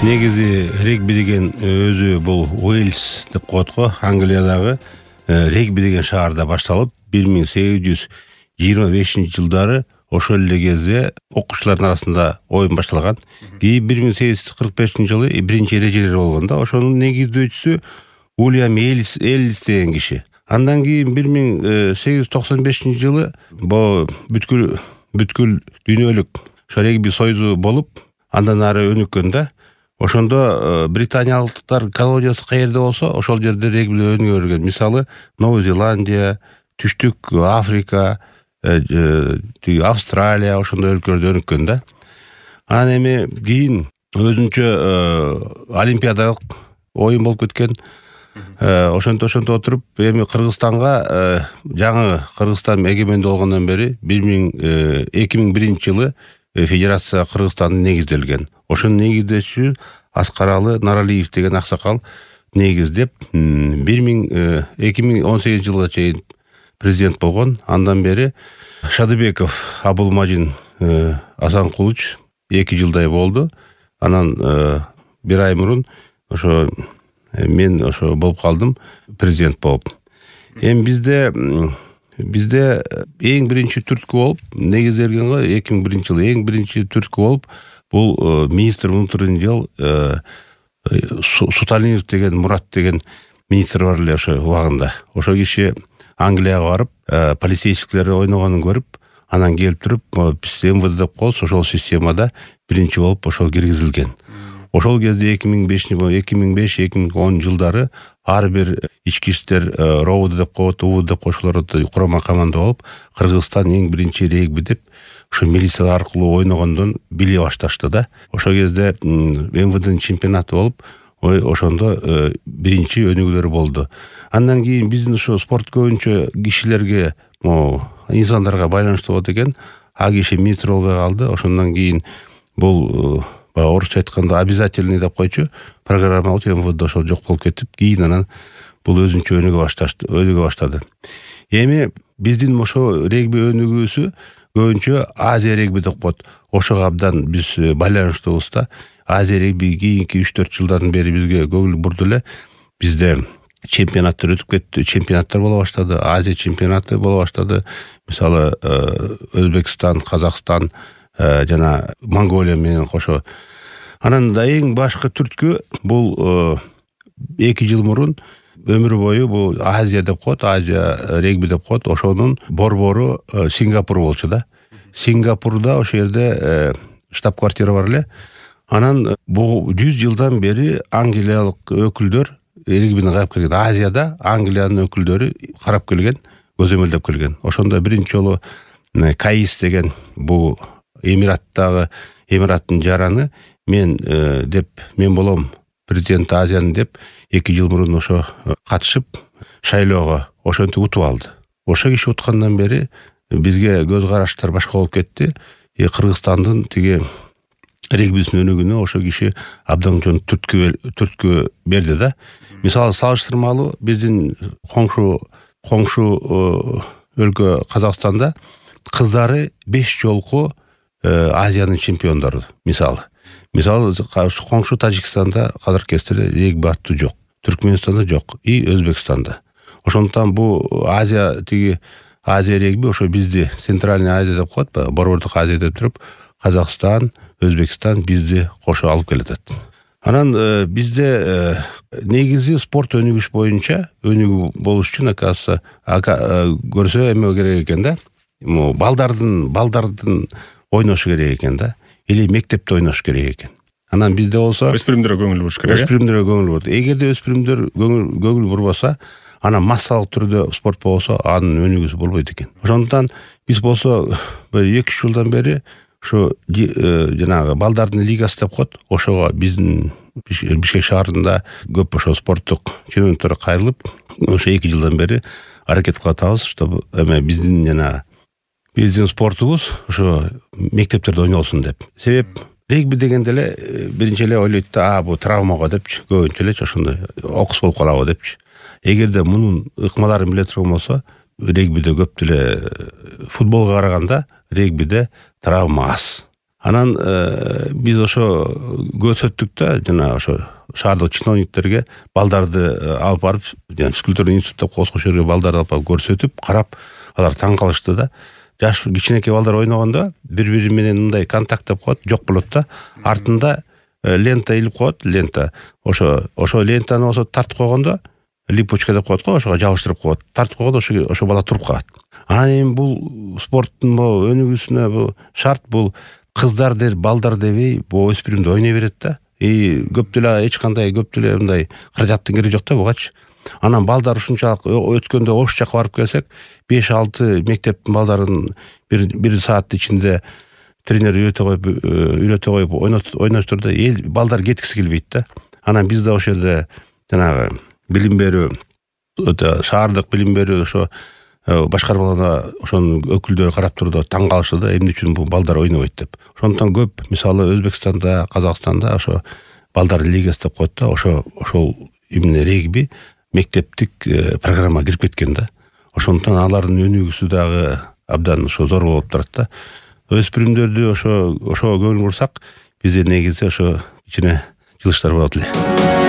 Негизи регби деген өзү бул Уэльс деп коет го, Англиядагы регби деген шаарда башталып 1825-жылдары ошол эле кезде окуучулардын арасында оюн башталган. Кийин 1845-жылы биринчи эрежелер болгон да, ошонун негиздөөчүсү Уильям Эллис деген киши. Андан кийин 1895-жылы бу бүткүл дүйнөлүк ошо регби союзу болуп, андан ары өнүккөн да. Ошондо британиялыктар колониясы каерде болсо, ошол жерде регби өнүгө берген. Мисалы, Новая Зеландия, Түштүк Африка, Австралия ошондой өлкөлөрдө өнүккөн да. Анан эми кийин өзүнчө олимпиадалык оюн болуп кеткен. Ошонто отуруп, эми Кыргызстанга жаңы Кыргызстан эгемендүү болгондон бери 2001-жылы Федерация Кыргызстанды негизделген. Ошонун негиздөөчүсү Аскаралы Наралиев деген аксакал негиздеп, 2018-жылга чейин президент болгон. Андан бери Шадыбеков Абулмажин Асанкулович 2 жылдай болду. Анан бир ай мурун ошо мен ошо болуп калдым, президент болуп. Эми бизде эң биринчи түрткү болуп негизделген го 2001-жылы. Эң биринчи түрткү болуп бул министр внутренних дел Суталинов деген Мурат деген министр бар эле ошо убагында. Ошо киши Англияга барып, полицейскийлер ойногонун көрүп, анан келип туруп, биз МВД деп коебуз, ошол системада биринчи болуп ошол киргизилген. Ошол кезде 2005-2010 жылдары ар бир ички иштер РОВД деп коет, УВД деп кошулат, курама команда болуп, Кыргызстан эң биринчи регби деп ошо милиция аркылуу ойногондон биле башташты да. Ошол кезде МВДнын чемпионаты болуп, ошондо биринчи өнүгүүлөр болду. Андан кийин биздин ошо спорт көбүнчө кишилерге, инсандарга байланыштуу болот экен. А киши министр болбой калды. Ошондон кийин бул орусча айтканда обязательный деп койчу программа болуп, МВД ошол жок болуп кетип, кийин анан бул өзүнчө өнүгө баштады. Эми биздин ошо регби өнүгүүсү көбүнчө Азия регби деп коет. Ошого абдан биз байланыштуубуз да. Азия регби кийинки 3-4 жылдан бери бизге көңүл бурду эле. Бизде чемпионаттар өтүп кетти, чемпионаттар боло баштады, Азия чемпионаты боло баштады. Мисалы, Өзбекстан, Казакстан жана Монголия менен кошо. Анан да эң башкы түрткү бул 2 жыл мурун өмүр бою бул Азия деп коет, Азия регби деп коет. Ошонун борбору Сингапур болчу да. Сингапурда ошол жерде штаб-квартира бар эле. Анан бул 100 жылдан бери англиялык өкүлдөр регбини карап келген. Азияда Англиянын өкүлдөрү карап келген, көзөмөлдөп келген. Ошондо биринчи жолу Каис деген бул Эмираттын жараны мен болом президент Азиянын деп 2 жыл мурун ошо катышып шайлоого ошентип утуп алды. Ошо киши уткандан бери бизге көз караштар башка болуп кетти. Кыргызстандын тиги регбисинин өнүгүүнө ошо киши абдан чоң түрткү берди да. Мисалы, салыштырмалуу биздин коңшу өлкө Казакстанда кыздары 5 жолку Азиянын чемпиондору. Мисалы коңшу Тажикстанда казыр кезде регби аттуу жок, Түркмөнстанда жок и Өзбекстанда. Ошондуктан бул Азия регби ошо бизди Центральный Азия деп коет, борбордук Азия деп туруп, Казакстан, Өзбекстан бизди кошо алып келатат. Анан бизде негизи спорт өнүгүш боюнча, өнүгүү болуш үчүн акасы көрсө эме керек экен да. Балдардын ойношу керек экен да. Или мектепте ойнош керек экен. Анан бизде болсо өспүрүмдөргө көңүл буруш керек. Өспүрүмдөргө көңүл бурду. Эгерде өспүрүмдөр көңүл бурбаса, анан массалык түрдө спорт болсо, анын өнүгүүсү болбойт экен. Ошондуктан биз болсо 2-3 жылдан бери ошо жанагы балдардын лигасы деп коет. Ошого биздин Бишкек шаарында көп ошо спорттук чемпионаттар кайрылып, ошо 2 жылдан бери аракет кылып атабыз, чтобы эме биздин спортубуз ошо мектептерде ойнолсун деп. Себеп регби дегенде эле биринчи эле ойлойт да, бул травмага депчи, көбүнчө элечи ошондой окус болуп калабы депчи. Эгерде мунун ыкмаларын биле турган болсо, регбиде көп деле футболго караганда регбиде травма аз. Анан биз ошо көрсөттүк да жана ошо шаардык чиновниктерге балдарды алып барып, физкультурный институтта ошол жерге балдарды алып барып көрсөтүп, карап, алар таң калышты да. Жаш кичинекей балдар ойногондо бири-бири менен мындай контакттап коет, жок болот да. Артында лента илип коет, лента. Ошо лентаны болсо тартып койгондо, липучка деп коет го, ошого жабыштырып коет. Тартып койгондо ошо бала туруп калат. Анан эми бул спорттун өнүгүүсүнө бул шарт, бул кыздар дер, балдар дебей, бул өспүрүмдө ойной берет да. Көп деле эч кандай көп деле мындай каражаттын кереги жок да бугачы. Анан балдар ушунчалык өткөндө ош жакка барып келсек, 5-6 мектептин балдарын бир саат ичинде тренер үйрөтө коюп ойноштур да, балдар кеткиси келбейт да. Анан биз да ошол жерде жанагы билим берүү, шаардык билим берүү ошо башкармаларда ошонун өкүлдөрү карап турду, таң калышты да, эмне үчүн бул балдар ойнобойт деп. Ошондуктан көп, мисалы Өзбекстанда, Казакстанда ошо балдар лигасы деп коет да, ошол именно регби мектептик программага кирип кеткен да. Ошондуктан алардын өнүгүүсү дагы абдан ошо зор болуп турат да. Өспүрүмдөрдү ошого көңүл бурсак, бизде негизи ошо кичине жылыштар болот эле.